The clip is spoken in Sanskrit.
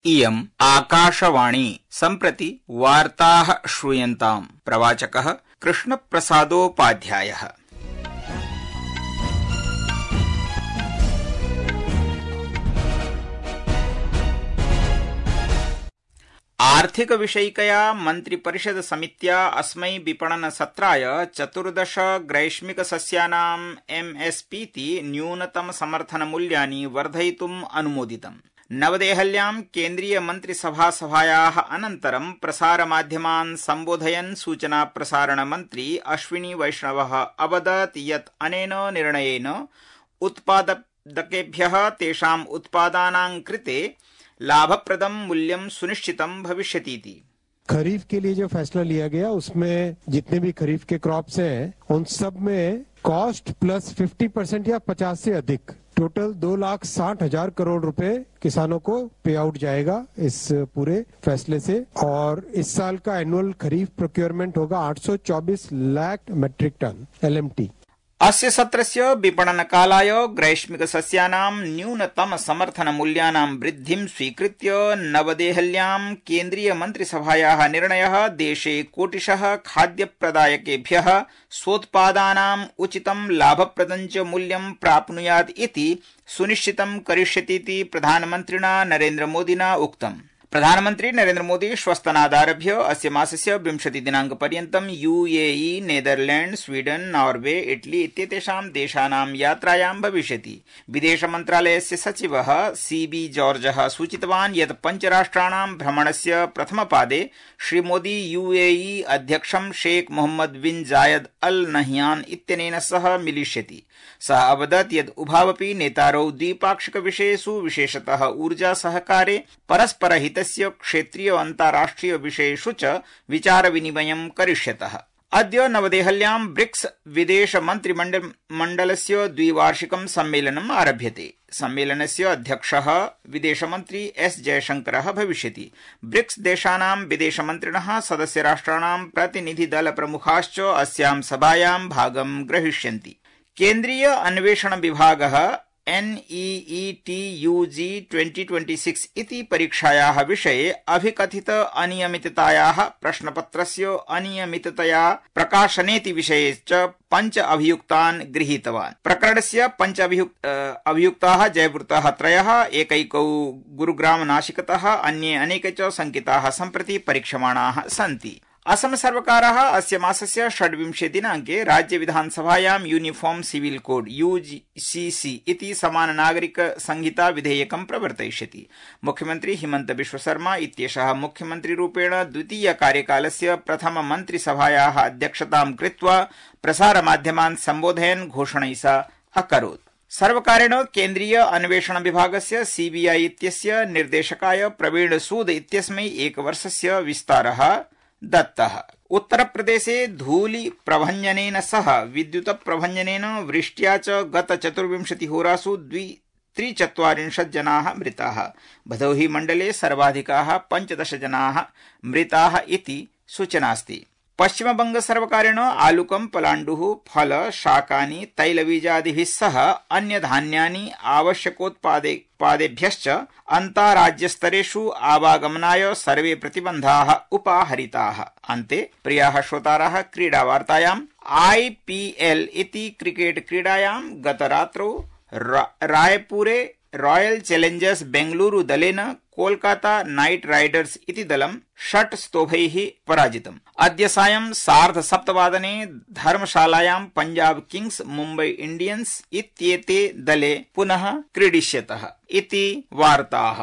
इयम् आकाशवाणी सम्प्रति वार्ताः श्रूयन्ताम्। प्रवाचकः कृष्णप्रसादोपाध्यायः। आर्थिक विषयिकया मन्त्रिपरिषद समित्या अस्मै विपणन सत्राय 14 ग्रैष्मिक सस्यानां एमएसपीति न्यूनतम समर्थन मूल्यानि वर्धयितुम् अनुमोदितम्। नवदेहल्यां केन्द्रीय मन्त्रिसभायाः अनन्तरं प्रसारमाध्यमान् सम्बोधयन् सूचना प्रसारण मन्त्री अश्विनी वैष्णवः अवदत् यत् अनेन निर्णयेन उत्पादकेभ्यः तेषाम् उत्पादानां कृते लाभप्रदं मूल्यं सुनिश्चितं भविष्यतीति। खरीफ के लिए जो फैसला लिया गया उसमें जितने भी खरीफ के क्रॉप्स हैं उन सब में कॉस्ट प्लस 50% या 50 से अधिक टोटल 2,60,000 करोड़ रुपए किसानों को पे आउट जाएगा इस पूरे फैसले से। और इस साल का एनुअल खरीफ प्रोक्योरमेंट होगा 824 लाख मेट्रिक टन LMT। अस्य सत्रस्य विपणनकालाय ग्रैष्मिक सस्यानां न्यूनतम समर्थन मूल्यानां वृद्धिं स्वीकृत्य नवदेहल्यां केन्द्रीय मन्त्रिसभायाः निर्णयः देशे कोटिशः खाद्यप्रदायकेभ्यः स्वोत्पादानाम् उचितं लाभप्रदं च मूल्यं प्राप्नुयात् इति सुनिश्चितं करिष्यतीति प्रधानमन्त्रिणा नरेन्द्रमोदिना उक्तम्। प्रधानमन्त्री नरेन्द्र मोदी श्वस्तनादारभ्य अस्य मासस्य 20 दिनाङ्कपर्यन्तं UAE, Netherland, Sweden, Norway, Italy इत्येतेषां देशानां यात्रायां भविष्यति। विदेश मन्त्रालयस्य सचिवः CB जॉर्जः सूचितवान् यत् पञ्चराष्ट्राणां भ्रमणस्य प्रथमपादे श्रीमोदी UAE अध्यक्षं शेख मोहम्मद बिन जायद अल नह्यान इत्यनेन सह मिलिष्यति। सः अवदत् यत् उभावपि नेतारौ द्विपाक्षिक विषयेषु विशेषतः ऊर्जा सहकारे परस्परहितस्य क्षेत्रीय अन्ताराष्ट्रिय विषयेषु च विचारविनिमयं करिष्यतः। अद्य नवदेहल्यां ब्रिक्स विदेश मन्त्रिमण्डलस्य द्विवार्षिकं सम्मेलनम् आरभ्यते। सम्मेलनस्य अध्यक्षः विदेशमन्त्री S जयशंकरः भविष्यति। ब्रिक्स देशानां विदेशमन्त्रिणः सदस्यराष्ट्राणां प्रतिनिधिदलप्रमुखाश्च अस्यां सभायां भागं ग्रहीष्यन्ति। केन्द्रीय अन्वेषण विभागः NEET-UG 2026 इति परीक्षायाः विषये अभिकथित अनियमिततायाः प्रश्नपत्रस्य अनियमिततया प्रकाशनेति विषये च 5 अभियुक्तान् गृहीतवान्। प्रकरणस्य 5 अभियुक्ताः जयवृतः 3, एकैकौ गुरुग्राम नाशिकतः, अन्ये अनेके च शङ्किताः सम्प्रति परीक्षमाणाः सन्ति। असम सर्वकारः अस्य मासस्य 26 दिनाङ्के राज्य विधानसभायां यूनिफॉर्म सिविल कोड UCC इति समान नागरिक संहिता विधेयकं प्रवर्तयिष्यति। मुख्यमन्त्री हिमंत बिश्व शर्मा इत्येषः मुख्यमन्त्रिरूपेण द्वितीय कार्यकालस्य प्रथम मन्त्रिसभायाः अध्यक्षतां कृत्वा प्रसारमाध्यमान् सम्बोधयन् घोषणैषा अकरोत्। सर्वकारेण केन्द्रीय अन्वेषण विभागस्य CBI इत्यस्य निर्देशकाय प्रवीण सूद इत्यस्मै 1 वर्षस्य विस्तारः दत्तः। उत्तरप्रदेशे धूलि प्रभञ्जनेन सह विद्युत प्रभञ्जनेन वृष्ट्या च गत 24 होरासु 43 जनाः मृताः। भदोही मण्डले सर्वाधिकाः 15 जनाः मृताः इति सूचनास्ति। पश्चिमबंग सर्वकारेण आलुकं, पलाण्डुः, फल, शाकानि, तैलबीजादिभिः सह अन्य धान्यानि आवश्यकोत्पादेभ्यश्च अन्ताराज्यस्तरेषु आवागमनाय सर्वे प्रतिबन्धाः उपाहरिताः। अन्ते प्रियाः श्रोताराः, क्रीडावार्तायाम् IPL इति क्रिकेट क्रीडायां गतरात्रौ रायपुरे रॉयल चैलेंजर्स बेंगलुरु दलेन कोलकाता नाइट राइडर्स इति दलं 6 स्तोभैः पराजितम्। अद्य सायं 7:30 धर्मशालायां पंजाब किंग्स, मुम्बई इंडियंस इत्येते दले पुनः क्रीडिष्यतः इति वार्ताः।